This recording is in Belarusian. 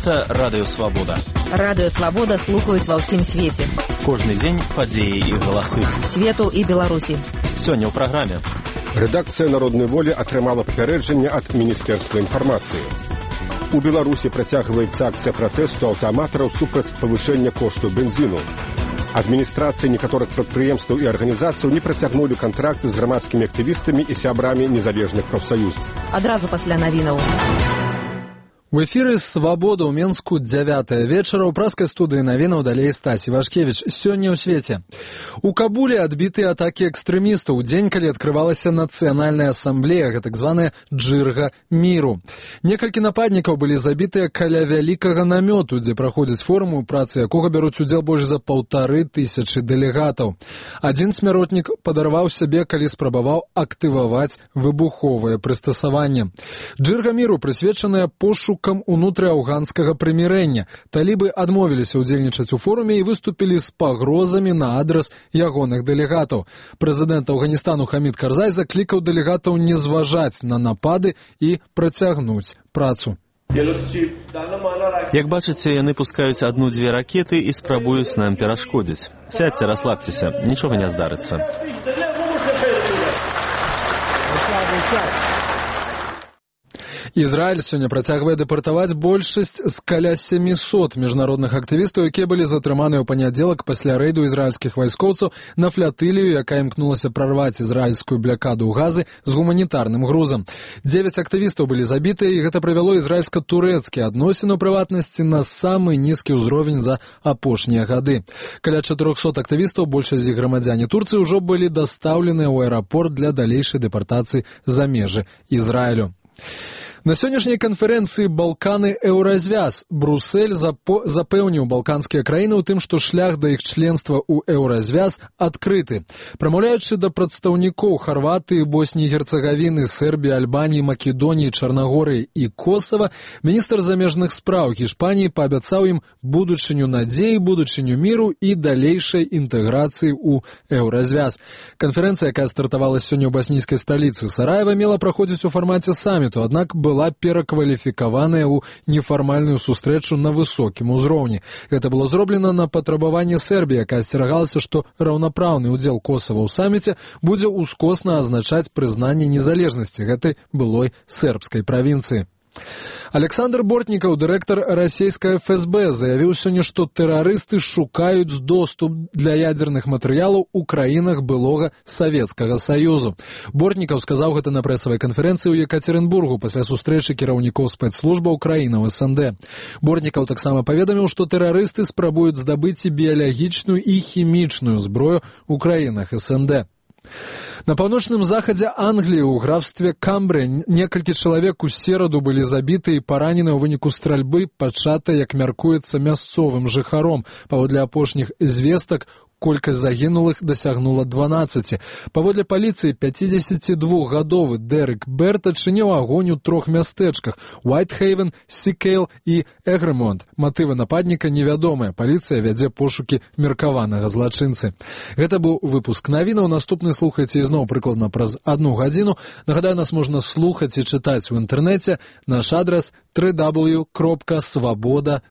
Гэта Радыё Свабода. Радыё Свабода слухаюць ва ўсім свеце. Кожны дзень падзеі і галасы. Свету і Беларусі. Сёння ў праграме. Рэдакцыя Народнай волі атрымала папярэджанне ад Міністэрства інфармацыі. У Беларусі працягваецца акцыя пратэсту аўтаматараў супраць павышэння кошту бензіну. Адміністрацыі некаторых прадпрыемстваў і арганізацыяў не працягнулі кантракты з грамадскімі актывістамі і сябрамі незалежных прафсаюз. Адразу пасля навінаў. В эфіры «Свабода» ў Менску 9 вечара. У праскай студыі навінаў далей Стась Івашкевіч. Сёння ў свеце. У Кабуле адбітыя атакі экстрэмістаў у дзень, калі адкрывалася нацыянальная асамблея, гэтак званая «Джырга міру». Некалькі нападнікаў былі забітыя каля вялікага намёту, дзе праходзіць форум, у працы якога бяруць удзел больш за 1500 дэлегатаў. Адзін смяротнік падарваў сябе, калі спрабаваў актываваць выбуховае прыстасаванне. «Джырга міру» прысвечаная пошуку унутры афганскага прымірэння. Талібы адмовіліся ўдзельнічаць у форуме і выступілі з пагрозамі на адрас ягоных дэлегатаў. Прэзідэнт Афганістану Хамід Карзай заклікаў дэлегатаў не зважаць на напады і працягнуць працу. Як бачыце, яны пускаюць адну-дзве ракеты і спрабуюць нам перашкодзіць. Сядьце, расслабцеся, нічога не здарыцца. Ізраіль сёння працягвае дэпартаваць большасць з каля 700 міжнародных актывістаў, якія былі затрыманыя ў панядзелак пасля рэйду ізраільскіх вайскоўцаў на флатылію, якая імкнулася прарваць ізраільскую блякаду ў Газы з гуманітарным грузам. 9 актывістаў былі забітыя, і гэта прывяло ізраільска-турэцкія адносіны ў прыватнасці на самы нізкі ўзровень за апошнія гады. Каля 400 актывістаў, большасць з іх грамадзяне Турцыі, ўжо былі дастаўленыя ў аэрапорт для далейшай дэпартацыі за межы Ізраілю. На сённяшняй канферэнцыі «Балканы-Еўразвяз» Брусэль запэўніў балканскія краіны ў тым, што шлях да іх членства ў Еўразвяз адкрыты. Прамаўляючы да прадстаўнікоў Харватыі, Босніі і Герцагавіны, Сербіі, Альбаніі, Македоніі, Чарнагорыі і Косава, міністр замежных спраў Гішпаніі паабяцаў ім будучыню надзеі, будучыню міру і далейшай інтэграцыі ў Еўразвяз. Канферэнцыя, якая стартавала сёння ў баснійскай сталіцы Сараева, мела праходзіць у фармаце саміту, аднак была перакваліфікаваная ў нефармальную сустрэчу на высокім узроўні. Гэта было зроблена на патрабаванне Сербіі, якая асцерагалася, што раўнапраўны ўдзел Косава ў саміце будзе ўскосна азначаць прызнанне незалежнасці гэтай былой сербскай правінцыі. Александр Бортнікаў, дырэктар расійскай ФСБ, заявіў сёння, што тэрарысты шукаюць доступ для ядзерных матэрыялаў у краінах былога Савецкага Саюзу. Бортнікаў сказаў гэта на прэсавай канферэнцыі ў Екатеринбургу пасля сустрэчы кіраўнікоў спецслужбаў краінаў СНД. Бортнікаў таксама паведаміў, што тэрарысты спрабуюць здабыць і біялагічную і хімічную зброю ў краінах СНД. На паўночным захадзе Англіі ў графстве Камбрыя некалькі чалавек у сераду былі забіты і паранены ў выніку стральбы, пачатай, як мяркуецца, мясцовым жыхаром. Паводле апошніх звестак, колькасць загінулых дасягнула 12. Паводле паліцыі, 52-гадовы Дэрык Берт адчыніў агонь у 3 мястэчках – Уайтхейвен, Сікейл і Эгрэмонт. Матывы нападніка невядомыя. Паліцыя вядзе пошукі меркаванага злачынцы. Гэта быў выпуск навінаў. Наступны слухайце ізноў прыкладна праз 1 гадзіну. Нагадаю, нас можна слухаць і чытаць у інтэрнэце. Наш адрас www.swaboda.org.